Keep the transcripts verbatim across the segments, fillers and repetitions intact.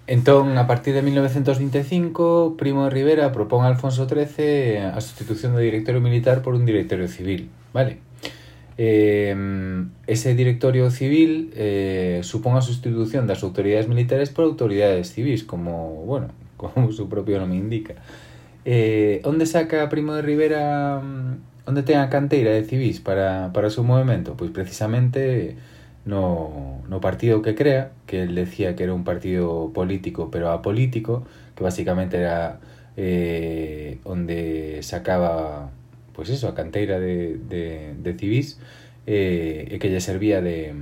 Entón, a partir de mil novecientos vinte e cinco, Primo de Rivera propón a Alfonso trece a sustitución do directorio militar por un directorio civil, vale? Eh, ese directorio civil eh, supón a sustitución das autoridades militares por autoridades civis, como, bueno, como su propio nome indica. Eh, onde saca Primo de Rivera, onde ten a canteira de civis para, para o seu movimento? Pois precisamente no, no partido que crea, que él decía que era un partido político pero apolítico, que basicamente era eh, onde sacaba, pois eso, a canteira de, de, de civis, eh, e que lle servía de,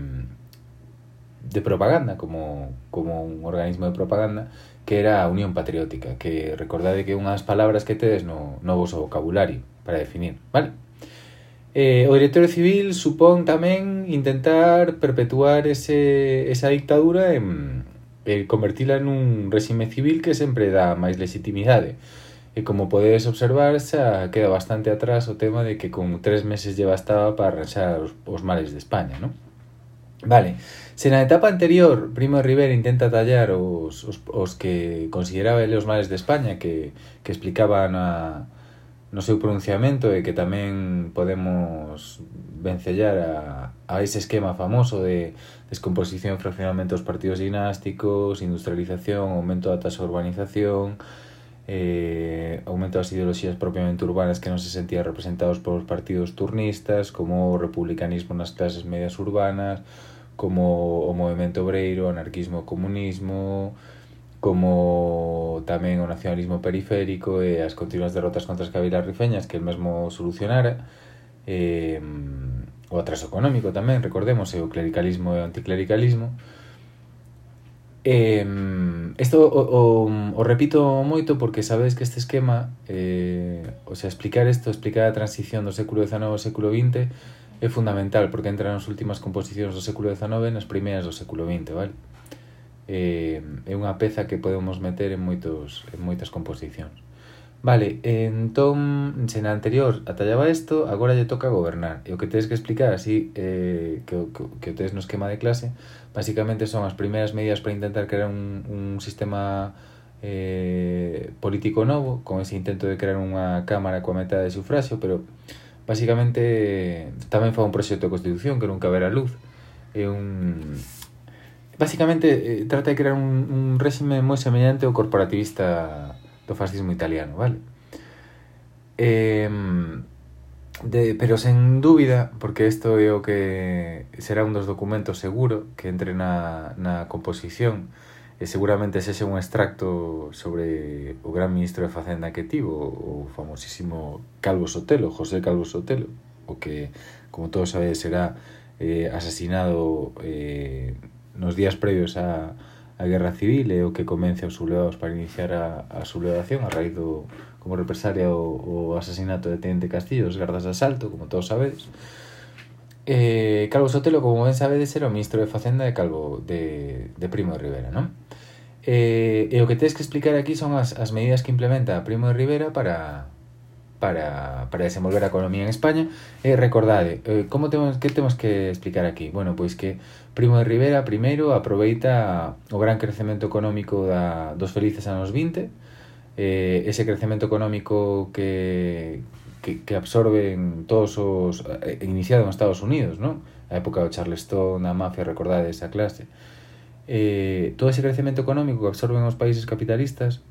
de propaganda, como, como un organismo de propaganda, que era a Unión Patriótica, que recordade que unhas palabras que tedes no, no voso vocabulario para definir, vale? Eh, o directorio civil supón tamén intentar perpetuar ese, esa dictadura en, en convertila nun réxime civil que sempre dá máis legitimidade. E como podedes observar, xa queda bastante atrás o tema de que con tres meses lle bastaba para arranxar os, os males de España, non? Vale, se na etapa anterior Primo de Rivera intenta tallar os, os, os que consideraba ele os males de España, que, que explicaba na, no seu pronunciamento, e que tamén podemos vencellar a, a ese esquema famoso de descomposición e fraccionamento dos partidos dinásticos, industrialización, aumento da tasa de urbanización, eh, aumento das ideoloxías propiamente urbanas que non se sentían representados polos partidos turnistas, como o republicanismo nas clases medias urbanas, como o movimento obreiro, o anarquismo, o comunismo, como tamén o nacionalismo periférico e as continuas derrotas contra as cabilas rifeñas que el mesmo solucionara, eh, o atraso económico tamén, recordemos, e o clericalismo e o anticlericalismo. Eh, esto o, o, o repito moito porque sabedes que este esquema, eh, o sea, explicar isto, explicar a transición do século dezanove ao século vinte é fundamental, porque entra nas últimas composicións do século dezanove e nas primeiras do século vinte, vale? Eh, é unha peza que podemos meter en moitos en moitas composicións. Vale, entón, se na anterior atallaba isto, agora lle toca gobernar. E o que tedes que explicar así, eh, que, que, que o tedes no esquema de clase, basicamente son as primeiras medidas para intentar crear un, un sistema eh, político novo, con ese intento de crear unha cámara coa metade de sufraxio, pero basicamente tamén fa un proxecto de constitución que nunca verá luz. É un... Basicamente eh, trata de crear un, un réxime moi semellante ao corporativista do fascismo italiano, vale? Eh, de, pero sen dúbida, porque isto é o que será un dos documentos seguro que entre na, na composición, e seguramente sexa un extracto sobre o gran ministro de Facenda que tivo, o famosísimo Calvo Sotelo, José Calvo Sotelo, o que, como todos sabedes, será eh, asesinado eh, nos días previos a, a Guerra Civil, e o que convence aos sublevados para iniciar a, a sublevación a raíz do, como represalia o, o asasinato de Teniente Castillo, os gardas de asalto, como todos sabedes. Eh, Calvo Sotelo, como ben sabedes, era o ministro de Facenda de Calvo de, de Primo de Rivera, non? Eh, e o que tens que explicar aquí son as, as medidas que implementa Primo de Rivera para para, para desenvolver a economía en España. E recordade, eh, como temos, que temos que explicar aquí? Bueno, pois que Primo de Rivera primeiro aproveita o gran crecemento económico da, dos felices anos vinte, eh, ese crecemento económico que, que, que absorben todos os... Eh, iniciado en Estados Unidos, non? A época do Charleston, a mafia, recordade esa clase. Eh, todo ese crecemento económico que absorben os países capitalistas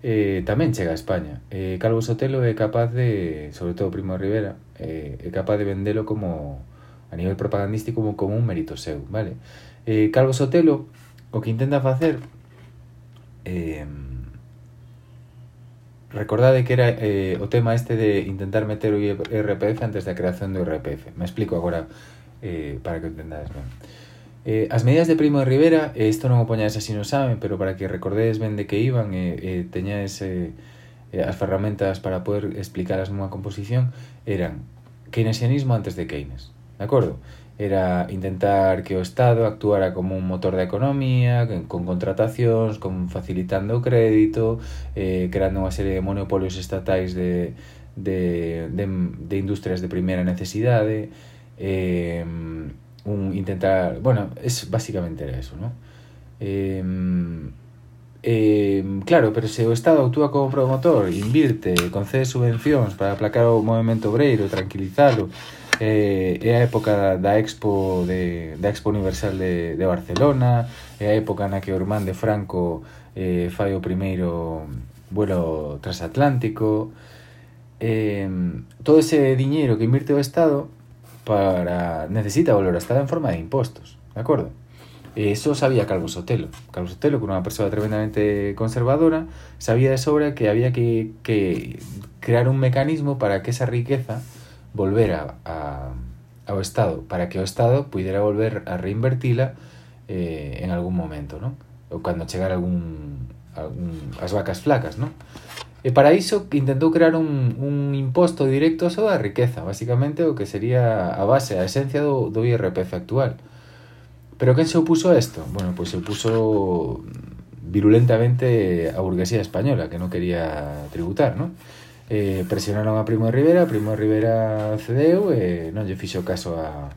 eh, tamén chega a España. Eh, Calvo Sotelo é capaz de, sobre todo Primo de Rivera, eh, é capaz de vendelo como, a nivel propagandístico, como, como un mérito seu, vale? Eh, Calvo Sotelo o que intenta facer, eh, recordade que era eh, o tema este de intentar meter o I R P F antes da creación do I R P F. Me explico agora eh, para que o entendades ben. Eh, as medidas de Primo de Rivera, eh, isto non o poñades así no saben, pero para que recordedes ben de que iban e eh, eh, teñades eh, eh, as ferramentas para poder explicalas nunha composición, eran keynesianismo antes de Keynes, de acordo? Era intentar que o Estado actuara como un motor da economía, con contratacións, con facilitando o crédito, eh, creando unha serie de monopolios estatais de, de, de, de industrias de primeira necesidade, eh, un intentar, bueno, es básicamente era eso, ¿no? Eh, Eh, claro, pero se o Estado actúa como promotor, invirte, concede subvencións para aplacar o movimento obreiro, tranquilizalo, eh, é a época da Expo de, da Expo Universal de, de Barcelona, é a época na que o irmán de Franco eh, fai o primeiro vuelo transatlántico. Eh, todo ese diñeiro que invirte o Estado para necesita volver ao Estado en forma de impostos, de acordo? Eso sabía Calvo Sotelo. Calvo Sotelo, que era unha persoa tremendamente conservadora, sabía de sobra que había que, que crear un mecanismo para que esa riqueza volvera a, ao Estado, para que o Estado pudiera volver a reinvertila eh, en algún momento, ¿no? Ou cando chegara algún, algún as vacas flacas, ¿no? E para iso intentou crear un, un imposto directo sobre a riqueza, basicamente o que sería a base, a esencia do, do I R P F actual. Pero quen se opuso a esto? Bueno, pues se opuso virulentamente a burguesía española, que non quería tributar, ¿no? Eh, presionaron a Primo de Rivera, Primo de Rivera cedeu e non lle fixo caso a,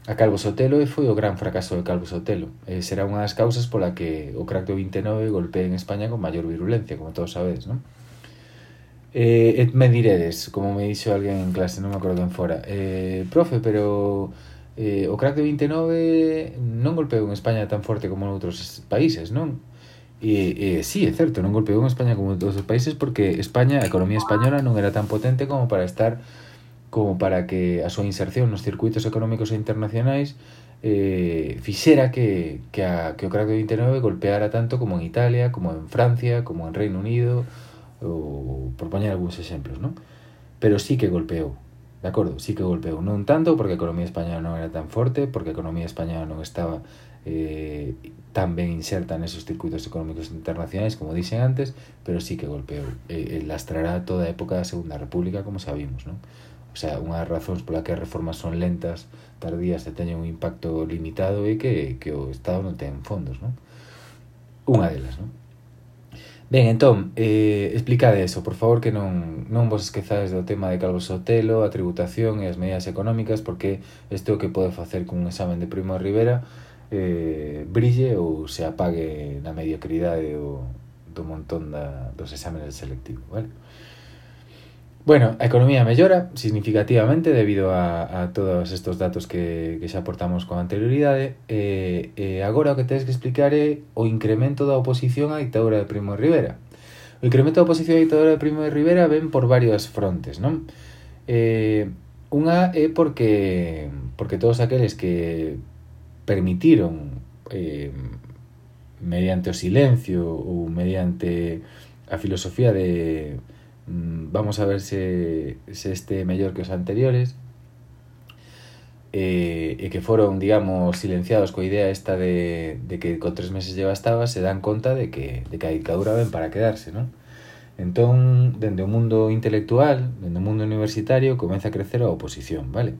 a Calvo Sotelo e foi o gran fracaso de Calvo Sotelo. Eh, será unha das causas pola que o crack do vinte e nove golpea en España con maior virulencia, como todos sabedes, ¿no? Eh, et me diredes, como me dixo alguén en clase, non me acordo quen fora, eh, profe, pero eh, o crack de vinte e nove non golpeou en España tan forte como en outros países, non? E, e sí, é certo, non golpeou en España como en outros países porque España, a economía española non era tan potente como para estar como para que a súa inserción nos circuitos económicos internacionais eh, fixera que, que, a, que o crack de vinte e nove golpeara tanto como en Italia, como en Francia, como en Reino Unido, ou por poñer algúns exemplos, non? Pero sí que golpeou, de acordo, sí que golpeou, non tanto porque a economía española non era tan forte, porque a economía española non estaba eh, tan ben inserta nesos circuitos económicos internacionais como dixen antes, pero sí que golpeou, e, e lastrará toda a época da Segunda República, como sabimos, non? O sea, unha das razóns pola que as reformas son lentas, tardías e teñen un impacto limitado é que, que o Estado non ten fondos, non? Unha delas, non? Ben, entón, eh, explicade eso, por favor, que non, non vos esquezades do tema de Calvo Sotelo, a tributación e as medidas económicas, porque isto é o que pode facer cun examen de Primo de Rivera eh, brille ou se apague na mediocridade do, do montón da, dos exámenes selectivos, vale? Bueno, a economía mellora significativamente debido a, a todos estos datos que, que xa aportamos con anterioridade e, e agora o que tedes que explicar é o incremento da oposición á ditadura de Primo de Rivera. O incremento da oposición á ditadura de Primo de Rivera ven por varios frontes, non? Eh, unha é porque, porque todos aqueles que permitiron eh, mediante o silencio ou mediante a filosofía de vamos a ver se, se este mellor que os anteriores e, e que foron, digamos, silenciados coa idea esta de, de que con tres meses lle bastaba, se dan conta de que, de que a dictadura ven para quedarse, non? Entón, dende o mundo intelectual, dende o mundo universitario, comeza a crecer a oposición, vale?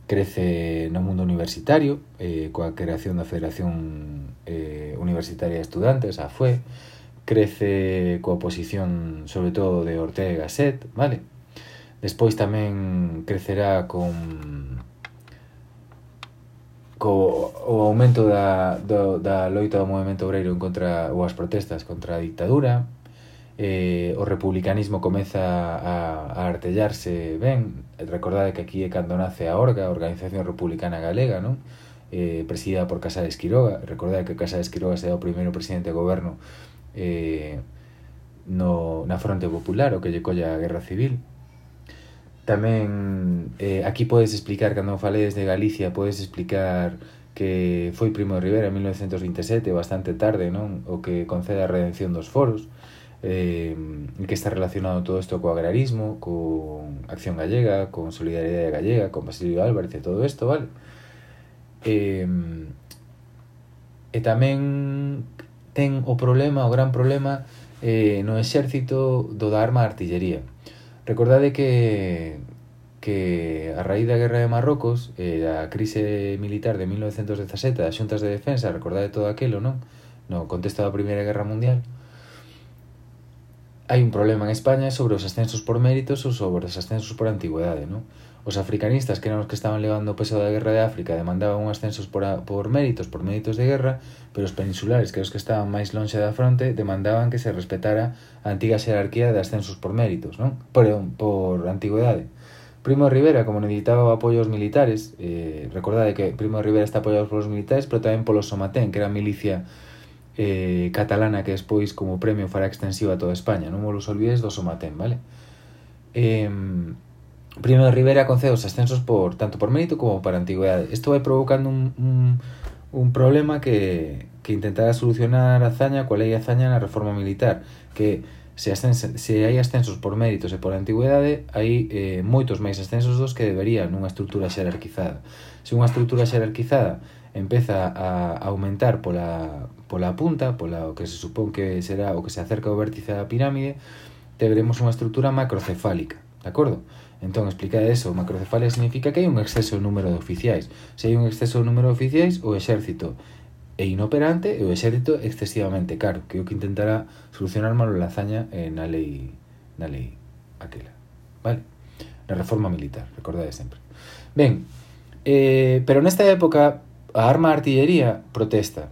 Crece no mundo universitario eh, coa creación da Federación eh, Universitaria de Estudantes, a F U E, crece coa oposición sobre todo de Ortega y Gasset, vale? Despois tamén crecerá con co o aumento da, do, da loita do movimento obreiro en contra, ou as protestas contra a dictadura. Eh, o republicanismo comeza a, a artellarse ben. Recordade que aquí é cando nace a Orga, a Organización Republicana Galega, non? Eh, presidida por Casares Quiroga. Recordade que Casares Quiroga será o primeiro presidente de goberno Eh, no, na fronte popular, o que lle colla a guerra civil. Tamén eh, aquí podes explicar, cando faledes de Galicia, podes explicar que foi Primo de Rivera en mil novecientos vinte e sete, bastante tarde, non? O que concede a redención dos foros, eh, que está relacionado todo isto co agrarismo, con Acción Gallega, con Solidaridade Gallega, con Basilio Álvarez e todo isto, vale? Eh, e tamén ten o problema, o gran problema eh, no exército do da arma de artillería. Recordade que que a raíz da guerra de Marrocos e eh, da crise militar de mil novecientos dezasete das xuntas de defensa, recordade todo aquilo, non? No contexto da Primeira Guerra Mundial, hai un problema en España sobre os ascensos por méritos ou sobre os ascensos por antigüedade, non? os africanistas, que eran os que estaban levando o peso da guerra de África, demandaban un ascensos por, a, por méritos, por méritos de guerra, pero os peninsulares, que eran os que estaban máis lonxe da fronte, demandaban que se respetara a antiga xerarquía de ascensos por méritos, non? Por, por antigüedade. Primo de Rivera, como necesitaba apoios militares, eh, recordade que Primo de Rivera está apoiado polos militares, pero tamén polo Somatén, que era a milicia eh, catalana que despois como premio fará extensiva a toda España. Non vos olvides do Somatén, vale? Eh, Primo de Rivera concede os ascensos por tanto por mérito como por antigüedade. Isto vai provocando un, un, un problema que, que intentará solucionar Azaña coa lei Azaña na reforma militar, que se, ascense, se hai ascensos por méritos e por antigüedade, hai eh, moitos máis ascensos dos que deberían nunha estrutura xerarquizada. Se unha estrutura xerarquizada empeza a aumentar pola, pola punta, pola o que se supón que será o que se acerca ao vértice da pirámide, teremos unha estrutura macrocefálica, de acordo? Entón, explicade eso, macrocefalia significa que hai un exceso de número de oficiais. Se hai un exceso de número de oficiais, o exército é inoperante e o exército excesivamente caro, que é o que intentará solucionar malo la Azaña eh, na lei na lei aquela, vale? Na reforma militar, recordade sempre. Ben, eh, pero nesta época a arma de artillería protesta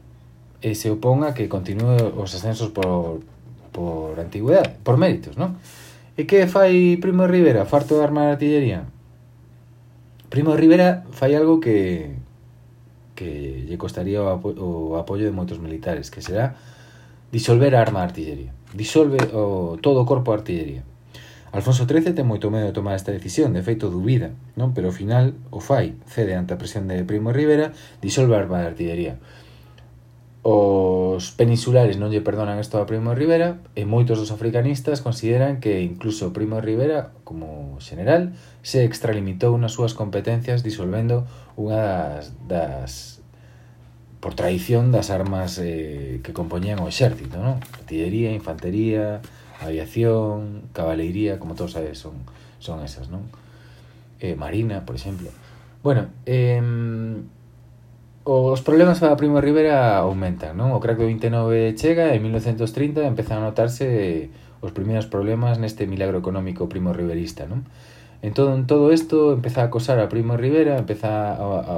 e se opón a que continúe os ascensos por, por antigüedade, por méritos, non? E que fai Primo de Rivera, farto de arma de artillería? Primo de Rivera fai algo que que lle costaría o, apo o apoio de moitos militares, que será disolver a arma de artillería. Disolve o, todo o corpo de artillería. Alfonso trece ten moito medo de tomar esta decisión, de feito dubida, non? Pero ao final o fai, cede ante a presión de Primo de Rivera, disolve a arma de artillería. Os peninsulares non lle perdonan isto a Primo de Rivera e moitos dos africanistas consideran que incluso Primo de Rivera, como general, se extralimitou nas súas competencias disolvendo unha das, das por tradición das armas eh, que compoñían o exército, non? Artillería, infantería, aviación, caballería, como todos sabes, son, son esas, non? Eh, marina, por exemplo. Bueno, eh, os problemas para Primo de Rivera aumentan, non? O crack do vinte e nove chega e en mil novecentos trinta empezan a notarse os primeiros problemas neste milagro económico primo riverista, non? En todo, en todo isto empeza a acosar a Primo de Rivera, empeza a, a,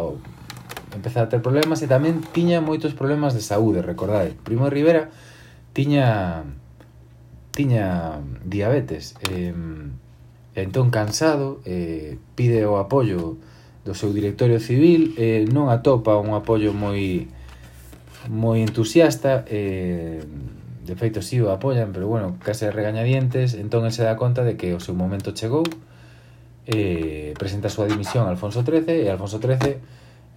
empeza a ter problemas e tamén tiña moitos problemas de saúde, recordade. Primo de Rivera tiña tiña diabetes, e, entón cansado, eh, pide o apoio do seu directorio civil, eh, non atopa un apoio moi moi entusiasta, eh, de feito si o apoian, pero bueno, case regañadientes, entón el se dá conta de que o seu momento chegou, eh, presenta a súa dimisión a Alfonso trece, e Alfonso trece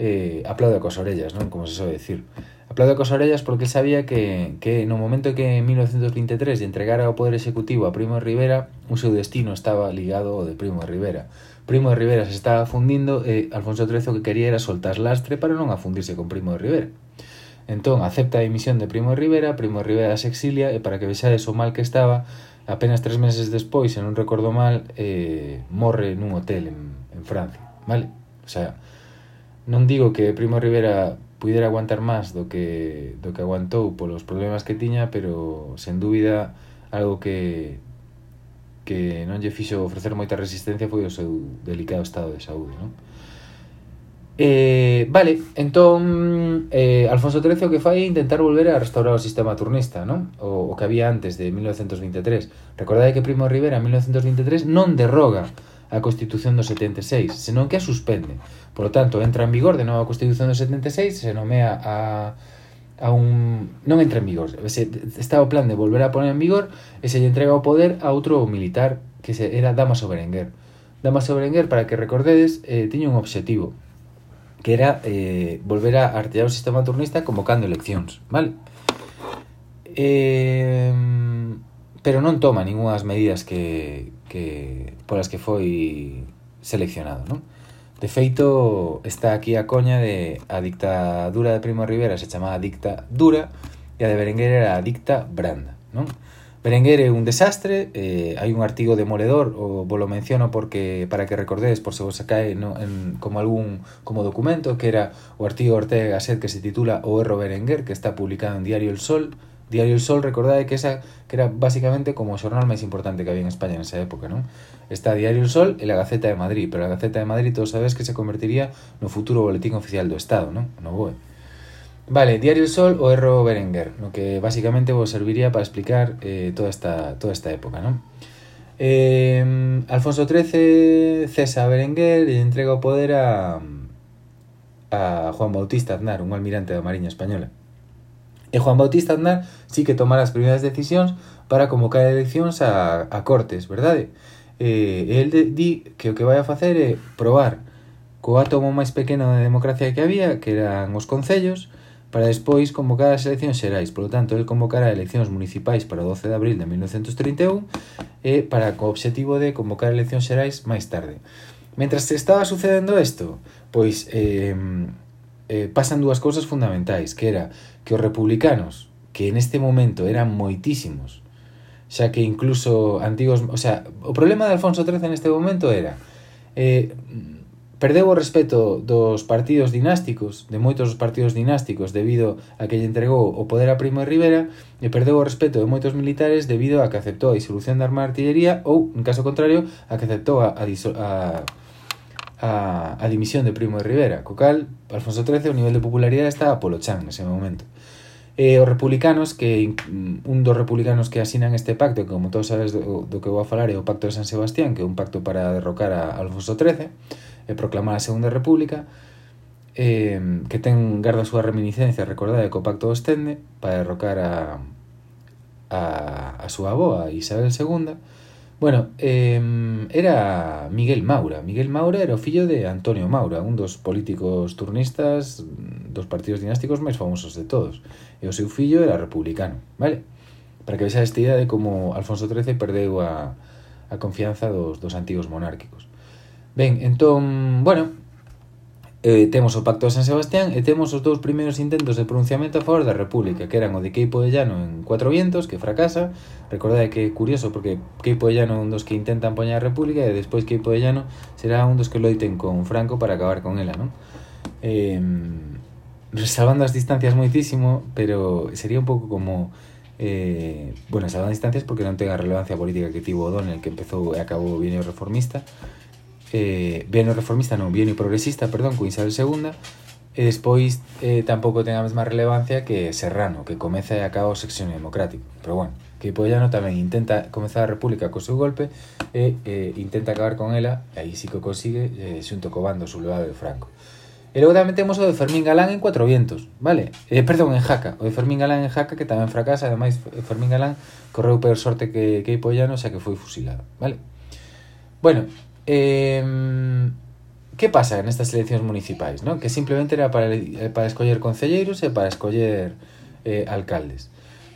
eh, aplaude cos orellas, non? Como se soe decir. Aplaude cos orellas porque sabía que, que no momento que en mil novecentos vinte e tres lle entregara o poder executivo a Primo de Rivera, o seu destino estaba ligado ao de Primo de Rivera. Primo de Rivera se estaba fundindo e Alfonso trece o que quería era soltar lastre para non afundirse con Primo de Rivera. Entón, acepta a dimisión de Primo de Rivera, Primo de Rivera se exilia e para que vexades o mal que estaba, apenas tres meses despois, se non recordo mal, eh, morre nun hotel en, en Francia, vale? O sea, non digo que Primo de Rivera puidera aguantar máis do que, do que aguantou polos problemas que tiña, pero, sen dúbida, algo que que non lle fixo ofrecer moita resistencia foi o seu delicado estado de saúde, non? Eh, vale, entón eh, Alfonso trece o que fai é intentar volver a restaurar o sistema turnista, non? O, o que había antes de mil novecentos vinte e tres. Recordade que Primo de Rivera en mil novecentos vinte e tres non derroga a Constitución do setenta e seis, senón que a suspende. Por lo tanto, entra en vigor de novo a Constitución do setenta e seis, se nomea a a un non entra en vigor, se, está o plan de volver a poner en vigor e se lle entrega o poder a outro militar que se, era Dámaso Berenguer. Dámaso Berenguer, para que recordedes, eh, tiña un obxectivo que era eh, volver a artellar o sistema turnista convocando eleccións, vale? Eh, pero non toma ningunhas medidas que, que polas que foi seleccionado, non? De feito, está aquí a coña de a dictadura de Primo de Rivera se chamaba dicta dura e a de Berenguer era a dicta branda, non? Berenguer é un desastre, eh, hai un artigo demoledor, o vos lo menciono porque para que recordedes por se vos cae no, en, como algún como documento, que era o artigo Ortega Gasset que se titula O erro Berenguer, que está publicado en Diario El Sol, Diario El Sol, recordade que esa que era básicamente como o xornal máis importante que había en España nesa época, non? Está Diario El Sol e la Gaceta de Madrid, pero a Gaceta de Madrid todos sabes que se convertiría no futuro boletín oficial do Estado, non? No B O E. Vale, Diario El Sol o Erro Berenguer, no que básicamente vos serviría para explicar eh, toda esta toda esta época, non? Eh, Alfonso trece cesa a Berenguer e entrega o poder a a Juan Bautista Aznar, un almirante da Mariña Española. E Juan Bautista Aznar sí que tomara as primeiras decisións para convocar eleccións a, a Cortes, verdade? Eh, el de, di que o que vai a facer é probar co átomo máis pequeno de democracia que había, que eran os concellos, para despois convocar as eleccións xerais. Por lo tanto, el convocará eleccións municipais para o doce de abril de mil novecentos trinta e un e para co obxectivo de convocar eleccións xerais máis tarde. Mentras se estaba sucedendo isto, pois eh, eh, pasan dúas cousas fundamentais, que era que os republicanos, que en este momento eran moitísimos, xa que incluso antigos... O sea, o problema de Alfonso trece neste momento era... Eh, perdeu o respeto dos partidos dinásticos, de moitos dos partidos dinásticos, debido a que lle entregou o poder a Primo de Rivera, e perdeu o respeto de moitos militares debido a que aceptou a disolución da Armada de Artillería ou, en caso contrario, a que aceptou a, a, a, a, a dimisión de Primo de Rivera. Co cal, Alfonso trece, o nivel de popularidade estaba polo chan nese momento. E os republicanos, que un dos republicanos que asinan este pacto, que como todos sabes do, do que vou a falar, é o Pacto de San Sebastián, que é un pacto para derrocar a Alfonso trece, e proclamar a Segunda República, eh, que ten garda a súa reminiscencia, recordade que o pacto ostende para derrocar a, a, a súa avoa, Isabel segunda. Bueno, eh, era Miguel Maura. Miguel Maura era o fillo de Antonio Maura, un dos políticos turnistas dos partidos dinásticos máis famosos de todos. E o seu fillo era republicano, vale? Para que vexa esta idea de como Alfonso trece perdeu a, a confianza dos, dos antigos monárquicos. Ben, entón, bueno, eh, temos o Pacto de San Sebastián e temos os dous primeiros intentos de pronunciamento a favor da República, que eran o de Queipo de Llano en Cuatro Vientos, que fracasa. Recordade que é curioso, porque Queipo de Llano é un dos que intentan poñer a República e despois Queipo de Llano será un dos que loiten con Franco para acabar con ela, non? Eh, salvando as distancias moitísimo, pero sería un pouco como... Eh, bueno, salvando as distancias porque non ten a relevancia política que tivo O'Donnell, que empezou e acabou o bienio reformista, eh, bienio reformista non, bienio progresista, perdón, con Isabel segunda, e despois eh, tampouco ten a mesma relevancia que Serrano, que comeza e acaba o sexenio democrático. Pero bueno, que Pollano tamén intenta comezar a república co seu golpe e eh, intenta acabar con ela, e aí sí que o consigue, eh, xunto co bando sublevado de Franco. E logo tamén temos o de Fermín Galán en Cuatro Vientos, vale? Eh, perdón, en Jaca, o de Fermín Galán en Jaca, que tamén fracasa. Ademais, Fermín Galán correu peor sorte que, que Pollano, xa que foi fusilado, vale? Bueno, Eh, que pasa nestas eleccións municipais, ¿no? Que simplemente era para, para escoller concelleiros e para escoller eh, alcaldes.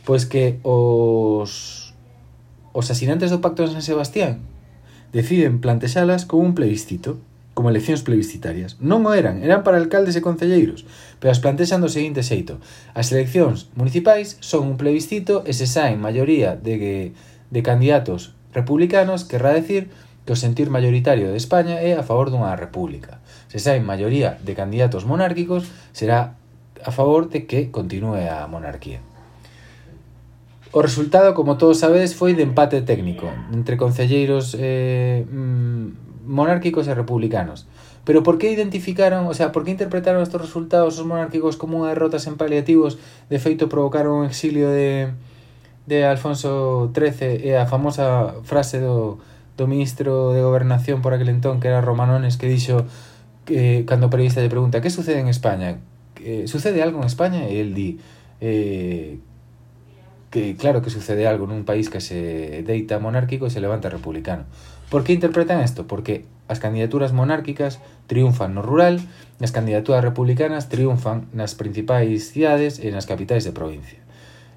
Pois que os os asinantes do Pacto de San Sebastián deciden plantexalas como un plebiscito, como eleccións plebiscitarias. Non o eran, eran para alcaldes e concelleiros, pero as plantexan do seguinte xeito: as eleccións municipais son un plebiscito e se saen maioría de, de candidatos republicanos, querrá decir que o sentir mayoritario de España é a favor dunha república. Se saen maioría de candidatos monárquicos, será a favor de que continúe a monarquía. O resultado, como todos sabedes, foi de empate técnico entre concelleiros eh, monárquicos e republicanos. Pero por que identificaron, o sea, por que interpretaron estos resultados os monárquicos como unha derrota sen paliativos? De feito, provocaron o exilio de, de Alfonso trece e a famosa frase do do ministro de Gobernación por aquel entón, que era Romanones, que dixo que cando o periodista lle pregunta que sucede en España, que sucede algo en España, e el di eh, que claro que sucede algo nun país que se deita monárquico e se levanta republicano. Por que interpretan isto? Porque as candidaturas monárquicas triunfan no rural e as candidaturas republicanas triunfan nas principais cidades e nas capitais de provincia.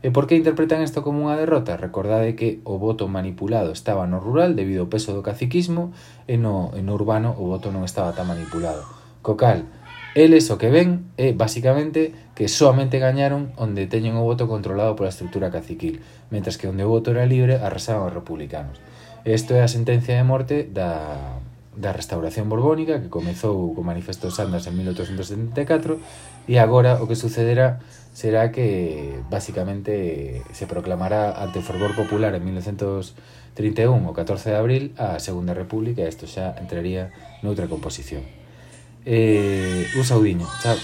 E por que interpretan isto como unha derrota? Recordade que o voto manipulado estaba no rural debido ao peso do caciquismo e no, e no urbano o voto non estaba tan manipulado. Co cal, eles o que ven é basicamente que soamente gañaron onde teñen o voto controlado pola estrutura caciquil, mentras que onde o voto era libre arrasaban os republicanos. Isto é a sentencia de morte da, da restauración borbónica, que comezou con manifestos Andas en mil oitocentos setenta e catro, e agora o que sucederá será que basicamente se proclamará ante o fervor popular en mil novecientos trinta e un, o catorce de abril, a Segunda República, e isto xa entraría noutra composición. Eh, un saudiño, chao.